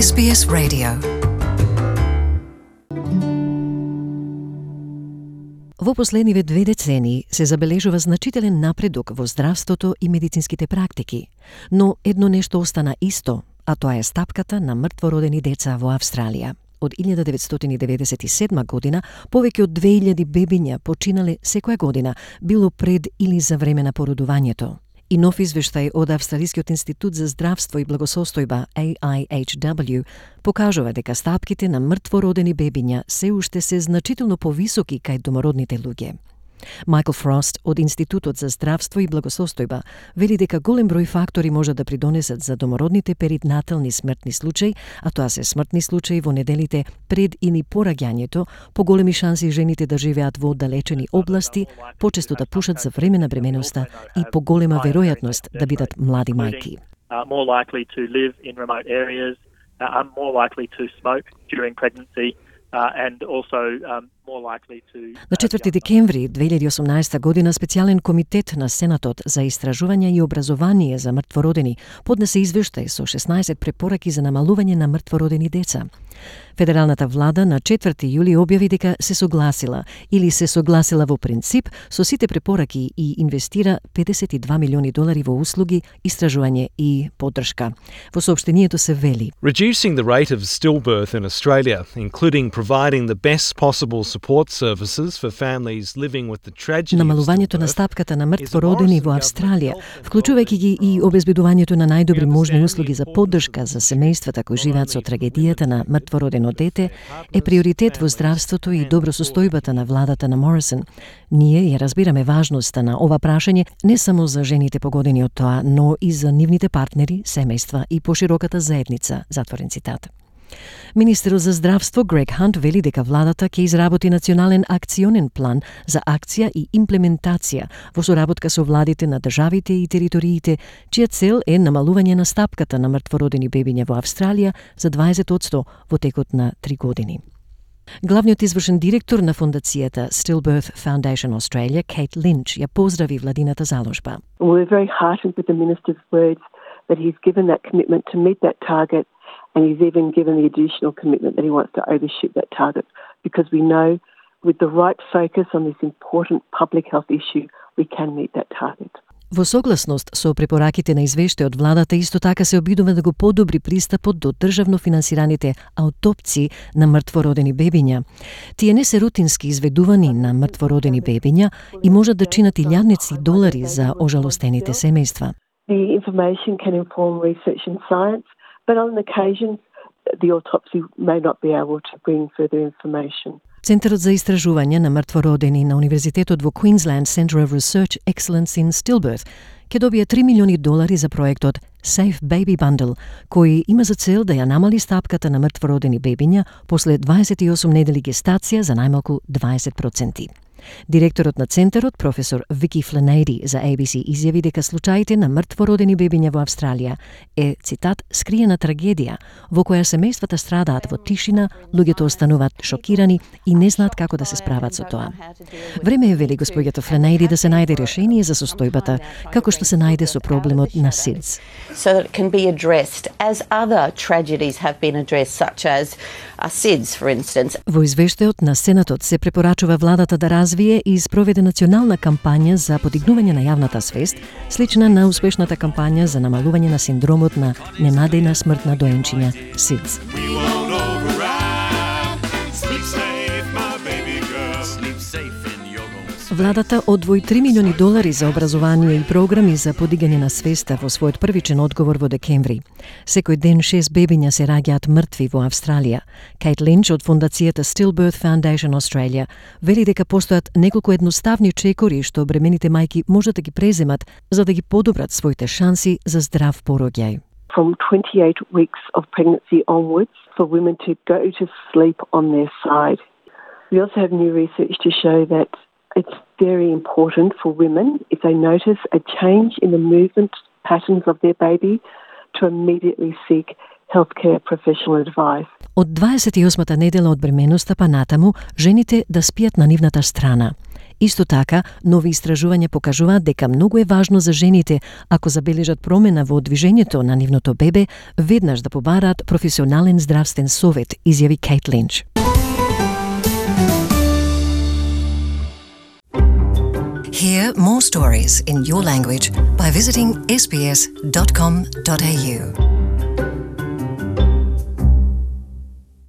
SBS Radio. Во последниве 2 децении се забележува значителен напредок во здравството и медицинските практики, но едно нешто остана исто, а тоа е стапката на мртвородени деца во Австралија. Од 1997 година, повеќе од 2000 бебиња починале секоја година, било пред или за време на породувањето. И нов извештај од Австралискиот институт за здравство и благосостојба AIHW покажува дека стапките на мртвородени бебиња се уште се значително повисоки кај домородните луѓе. Майкл Фрост од Институтот за здравство и благосостојба вели дека голем број фактори може да придонесат за домородните перинатални смртни случаи, а тоа се смртни случаи во неделите пред или по раѓањето, поголеми шанси жените да живеат во оддалечени области, почесто да пушат за време на бременоста и поголема веројатност да бидат млади мајки. More likely to live in remote areas, are more likely to smoke during pregnancy, and also more likely to... На 4 декември 2018 година специјален комитет на Сенатот за истражување и образование за мртвородени поднесе извештај со 16 препораки за намалување на мртвородени деца. Федералната влада на 4 јули објави дека се согласила во принцип со сите препораки и инвестира $52 милиони во услуги, истражување и поддршка. Во соопштението се вели: Reducing the rate of stillbirth in Australia, including providing the best possible support services for families living with the tragedy. Намалувањето на стапката на мртвородени во Австралија, вклучувајќи ги и обезбедувањето на најдобри можни услуги за поддршка за семејствата кои живеат со трагедијата на мртвородено дете, е приоритет во здравството и добросостојбата на владата на Морисон. Ние ја разбираме важноста на ова прашање не само за жените погодени од тоа, но и за нивните партнери, семејства и пошироката заедница, затворен цитат. Министерот за здравство Грег Хант вели дека владата ќе изработи национален акционен план за акција и имплементација во соработка со владите на државите и териториите, чија цел е намалување на стапката на мртвородени бебиња во Австралија за 20% во текот на 3 години. Главниот извршен директор на фондацијата Stillbirth Foundation Australia, Kate Lynch, ја поздрави владината заложба. We're very heartened with the minister's words that he's given that commitment to meet that target. And he's even given the additional commitment that he wants to overshoot that target, because we know with the right focus on this important public health issue, we can meet that target. Во согласност со препораките на извештајот, владата исто така се обидува да го подобри пристапот до државно финансираните аутопции на мртвородени бебиња. Тие не се рутински изведувани на мртвородени бебиња и можат да чинат $1,000 за ожалостените семејства. The information can inform research in science, but on occasion, the autopsy may not be able to bring further information. Центарот за истражување на мртвородени на Универзитетот во Queensland Centre of Research Excellence in Stillbirth ќе добие $3 милиони за проектот Safe Baby Bundle, кој има за цел да ја намали стапката на мртвородени бебиња после 28 недели гестација за најмалку 20%. Директорот на центарот, професор Вики Фланейди, за ABC изјави дека случаите на мртвородени бебиња во Австралија е, цитат, скриена трагедија во која семејствата страдаат во тишина, луѓето остануваат шокирани и не знаат како да се справат со тоа. Време е, вели господјата Фланейди, да се најде решение за состојбата, како што се најде со проблемот на SIDS. So that it can be addressed as other tragedies have been addressed, such as SIDS, for instance. Во извештајот на Сенатот се препорачува владата да развие и спроведе национална кампања за подигнување на јавната свест, слична на успешната кампања за намалување на синдромот на ненадејна смртна доенчиња SIDS. Владата одвои $3 милиони за образование и програми за подигање на свеста во својот првичен одговор во декември. Секој ден 6 бебиња се раѓаат мртви во Австралија. Кейт Линч од фондацијата Stillbirth Foundation Australia вели дека постојат неколку едноставни чекори што бремените мајки можат да ги преземат за да ги подобрат своите шанси за здрав пороѓај. From 28 weeks of pregnancy onwards, for women to go to sleep on their side. We also have new research to show that it's very important for women, if they notice a change in the movement patterns of their baby, to immediately seek healthcare professional advice. Од 28-та недела од бременоста па натаму, жените да спијат на нивната страна. Исто така, нови истражувања покажуваат дека многу е важно за жените, ако забележат промена во движењето на нивното бебе, веднаш да побараат професионален здравствен совет, изјави Кейт Линч. Hear more stories in your language by visiting sbs.com.au.